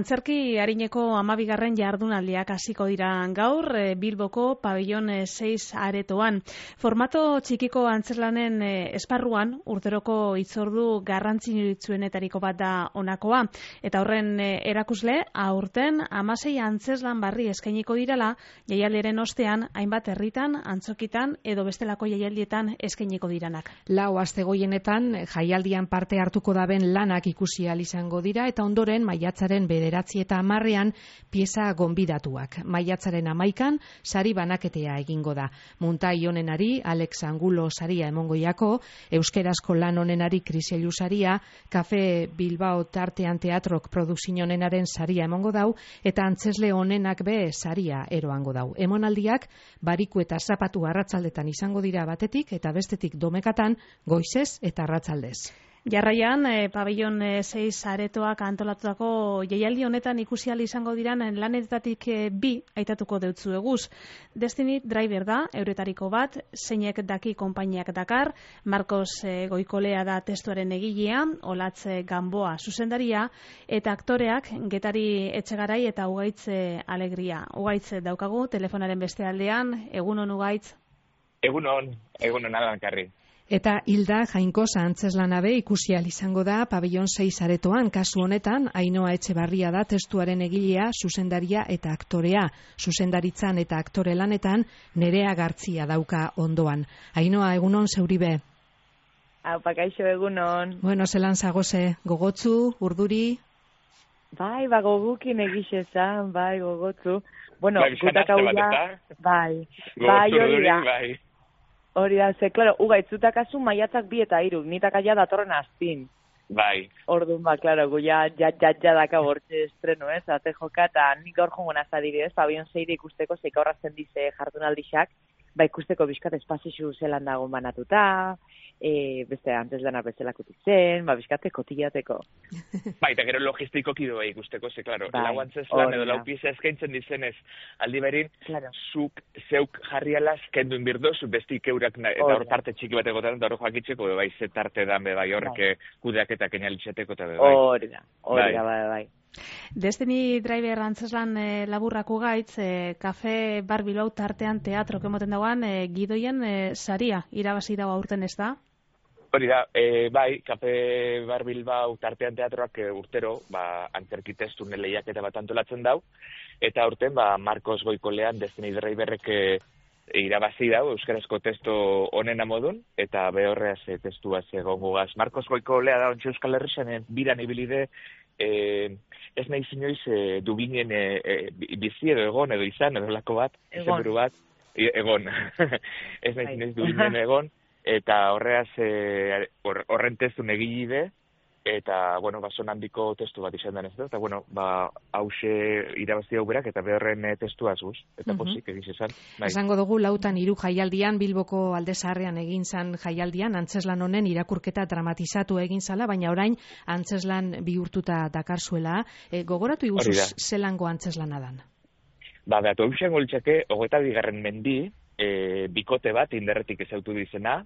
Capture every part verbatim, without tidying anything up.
Antzerki arineko hamabigarren jardunaldiak hasiko dira gaur Bilboko pabellon seis aretoan. Formato txikiko antzerlanen esparruan urteroko hitzordu garrantzitsuenetariko bat da honakoa. Eta horren erakusle aurten hamasei antzeslan barri eskainiko direla, jaialdiaren ostean hainbat herritan, antzokitan edo bestelako jaialdietan eskainiko diranak. Lau astegoienetan jaialdian parte hartuko daben lanak ikusi ahal izango dira eta ondoren maiatzaren bederatzi eta hamarrean pieza gonbidatuak. Maiatzaren hamaikan sari banaketea egingo da. Muntai onenari Alex Angulo saria emongoiako, euskerazko lan onenari Kriselu saria, Kafe Bilbao tartean teatrok produkzio onenaren saria emongo dau, eta antzesle onenak be saria eroango dau. Emonaldiak bariku eta zapatu arratzaldetan izango dira batetik eta bestetik domekatan goizez eta arratzaldez. Jarraian, eh, pabellon seis aretoak antolatutako jaialdi honetan ikusi ahal izango diran lanetatik eh, bi aitatuko deutzu eguz. Destiny Driver da, euretariko bat, zeinek daki konpainiak dakar, Marcos eh, Goikolea da testuaren egilea, Olatz Gamboa zuzendaria, eta aktoreak Getari Etxegarai eta Ugaitz Alegria. Ugaitz daukagu, telefonaren beste aldean, egunon Ugaitz? Egunon, egunon alankarri. Eta Hilda Jainkosa antzeslanabe ikusi ahal izango da pabellon seis aretoan. Kasu honetan, Ainhoa Etxebarria da testuaren egilea, zuzendaria eta aktorea. Zuzendaritzan eta aktore lanetan Nerea Gartzia dauka ondoan. Ainhoa, egunon zeuribe? Aupa, kaixo, egunon. Bueno, zelan zagoze, gogotzu, urduri? Bai, ba, gogukin egixezan, bai, gogotzu. Bueno, bai, gutak hau da, bai, bai, hori da. Bai. Hori da, ze, klaro, ugaitzutak azu maiatzak bi eta iruk, nitak aia datorren azpin. Bai. Orduan, ba, klaro, gu ja, ja, ja, ja daka bortxe estreno, ez, ate joka, eta nik gaur jongo nazadiri, ez, pabion zeire ikusteko, zeik aurrazten dize jardunaldixak, ba, ikusteko bizkat espazixu zelan dagoen banatuta, e, beste antes dana bezalakutik zen, ba, bizkate kotillateko. Bai, eta gero logistikoki doa ikusteko, ze, klaro, bai, lau antzeslan edo lau pieza eskaintzen dizenez, aldi berin, claro. Zuk zeuk jarriala kendu inbirdo, zu bestik eurak, eta hor parte txiki bat egotan, eta hor joakitzeko, bai, ze tarte dan, bai, horrek kudeaketak enalitxateko, eta bai. Hori da, hori da, bai, bai. Destiny Driver antzeslan e, laburrako gaitz, e, Kafe Bar Bilbao tartean teatrok emoten dagoan, e, gidoien e, saria irabazi dago aurten ez da? Hori da, e, bai, Kafe Bar Bilbao tartean teatroak e, urtero, ba, antzerki testu lehiaketa bat antolatzen dau, eta urten, ba, Marcos Goikolean Destiny Driverrek e, irabazi dau, euskarazko testu onena modun, eta behorreaz e, testua egongo gaz. Marcos Goikolea da ontsi Euskal Herrixanen biran ibilide, e, ez nahi zinioiz e, dubinen e, e, bizi edo egon edo izan, edo lako bat, egon, bat, e, egon. ez nahi zinioiz dubinen egon, eta horreaz e, horren testu negilide, eta, bueno, ba, son handiko testu bat izan denez, eta, bueno, ba, hause irabazi hau berak, eta behorren e, testua azuz, eta posik egiz esan. Bai. Esango dugu, lautan hiru jaialdian, Bilboko Alde Zaharrean egin zan jaialdian, antzeslan honen irakurketa dramatizatu egin zala, baina orain antzeslan bihurtuta dakarzuela. E, gogoratu iguzuz zelango antzeslana dan? Ba, behatu hausian goltxake, hogeita bigarren mendi, e, bikote bat, inderretik ezautu dizena,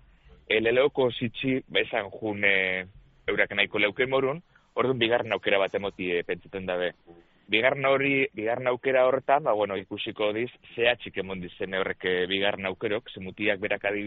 eleleoko zitsi, esan jun, e, eurak nahiko leuken morun, orduan bigarren aukera bat emoti e, pentsaten dabe. Bigarren hori, bigarren aukera horretan, ba, bueno, ikusiko diz, zehatxik emon dizen horrek bigarren aukerok, zemutiak berak adibidez,